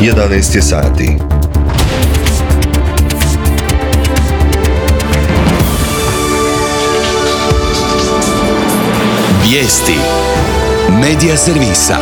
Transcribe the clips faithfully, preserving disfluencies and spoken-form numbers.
jedanaest je sati. Vijesti Medija servisa.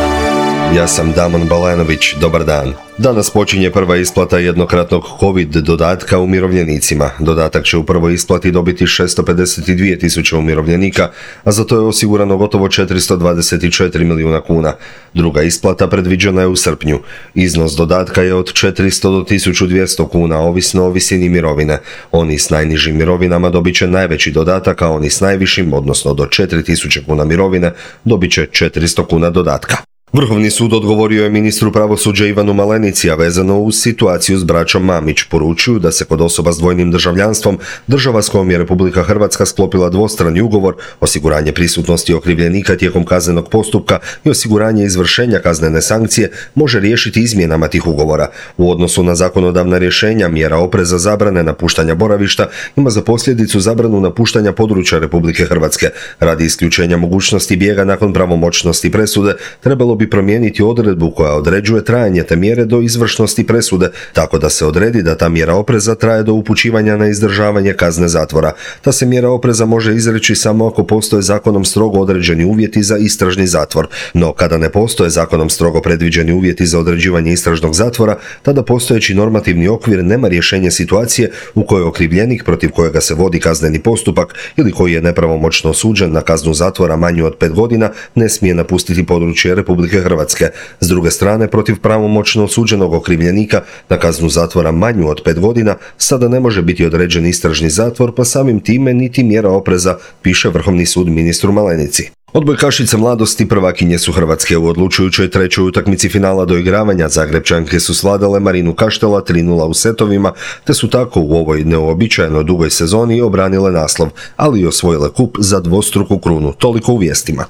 Ja sam Damon Balenović, dobar dan. Danas počinje prva isplata jednokratnog COVID dodatka umirovljenicima. Dodatak će u prvoj isplati dobiti šesto pedeset dvije tisuće umirovljenika, a za to je osigurano gotovo četiristo dvadeset četiri milijuna kuna. Druga isplata predviđena je u srpnju. Iznos dodatka je od četiristo do tisuću dvjesto kuna, ovisno o visini mirovine. Oni s najnižim mirovinama dobit će najveći dodatak, a oni s najvišim, odnosno do četiri tisuće kuna mirovine, dobit će četiristo kuna dodatka. Vrhovni sud odgovorio je ministru pravosuđa Ivanu Malenici, a vezano uz situaciju s braćom Mamić. Poručuju da se kod osoba s dvojnim državljanstvom država s kojom je Republika Hrvatska sklopila dvostrani ugovor, osiguranje prisutnosti okrivljenika tijekom kaznenog postupka i osiguranje izvršenja kaznene sankcije može riješiti izmjenama tih ugovora. U odnosu na zakonodavna rješenja, mjera opreza zabrane napuštanja boravišta ima za posljedicu zabranu napuštanja područja Republike Hrvatske. Radi isključenja mogućnosti bijega nakon pravomoćnosti presude, trebalo bi promijeniti odredbu koja određuje trajanje te mjere do izvršnosti presude, tako da se odredi da ta mjera opreza traje do upućivanja na izdržavanje kazne zatvora. Ta se mjera opreza može izreći samo ako postoje zakonom strogo određeni uvjeti za istražni zatvor. No, kada ne postoje zakonom strogo predviđeni uvjeti za određivanje istražnog zatvora, tada postojeći normativni okvir nema rješenje situacije u kojoj okrivljenik protiv kojega se vodi kazneni postupak ili koji je nepravomoćno osuđen na kaznu zatvora manju od pet godina ne smije napustiti područje Republike Hrvatske. S druge strane, protiv pravomoćno osuđenog okrivljenika na kaznu zatvora manju od pet godina sada ne može biti određen istražni zatvor, pa samim time niti mjera opreza, piše Vrhovni sud ministru Malenici. Odbojkašice mladosti prvakinje su Hrvatske. U odlučujućoj trećoj utakmici finala doigravanja Zagrepčanke su svladale Marinu Kaštela tri nula u setovima, te su tako u ovoj neuobičajeno dugoj sezoni obranile naslov, ali i osvojile kup za dvostruku krunu. Toliko u vijestima.